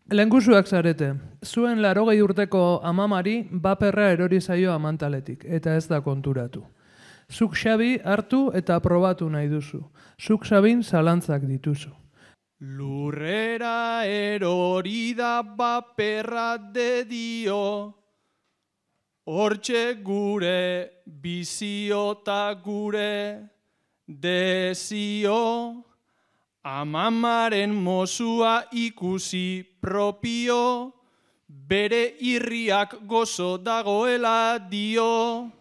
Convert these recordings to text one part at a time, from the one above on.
Lehengusuak zarete, zuen 80 urteko amamari baperra erori zaio amantaletik, eta ez da konturatu. Zuk Xabi hartu eta probatu nahi duzu. Zuk Xabin zalantzak dituzu. Lurrera erori da baperra de dio, hortxe gure bizio ta gure dezio, amamaren mozua ikusi propio, bere irriak gozo dagoela dio,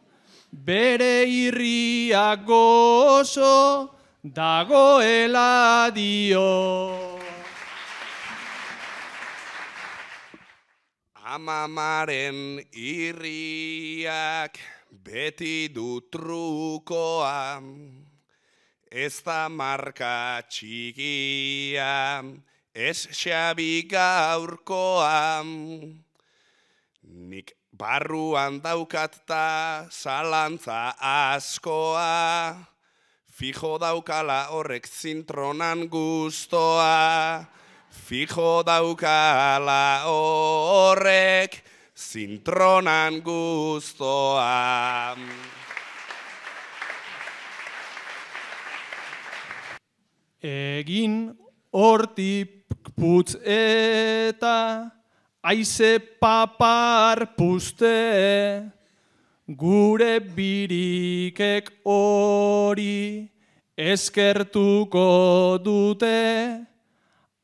bere irriak gozo dagoela dio. Amamaren irriak beti du trukoa, ez da marka txikia, ez Xabi gaurkoa. Nik barruan daukat ta zalantza askoa, fijo daukala horrek zintronan gustoa, fijo daukala horrek zintronan gustoa. Egin hortik putz eta aize papar puste, gure birikek hori eskertuko dute,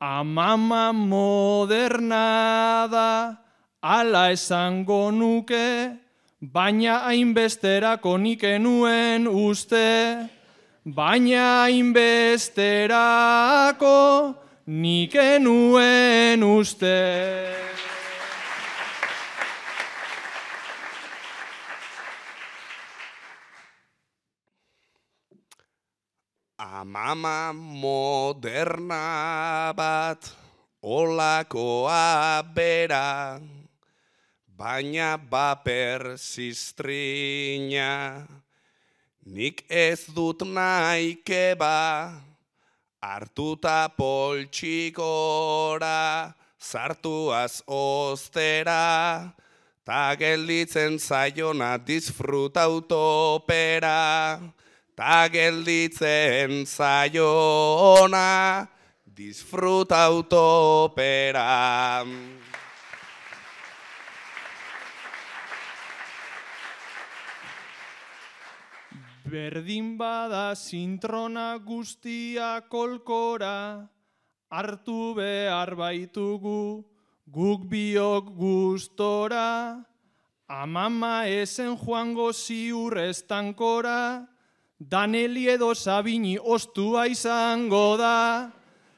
amama moderna da, ala esango nuke, baina hainbesterako nik enuen uste, baina hainbesterako nik enuen uste. Amama moderna bat, olakoa bera, baina baper ziztrina, nik ez dut nahi keba, hartuta poltsikora, sartuaz ostera, ta gelditzen zaiona disfruta utopera, ta gelditzen zaiona disfruta utopera. Berdin bada zintrona guztia kolkora, hartu behar baitugu guk biok gustora, amama esen joango ziur estankora, Daneli edo Sabini ostua izango da,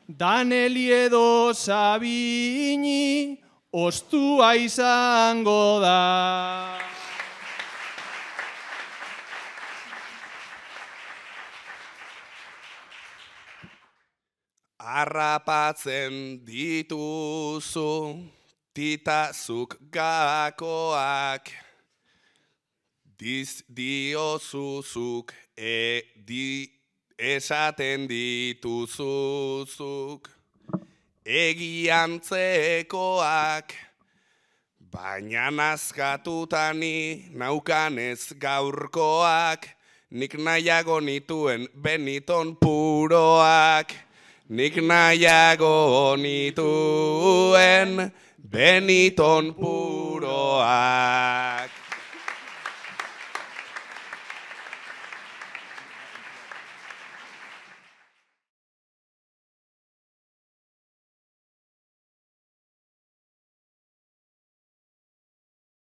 Daneli edo Sabini ostua izango da. Harrapatzen dituzu titazuk gakoak, diozuzuk esaten dituzuzuk, egiantzekoak, baina nazkatutani naukanez gaurkoak, nik nahiago nituen Beniton puroak, nik nahiago nituen Beniton puroak.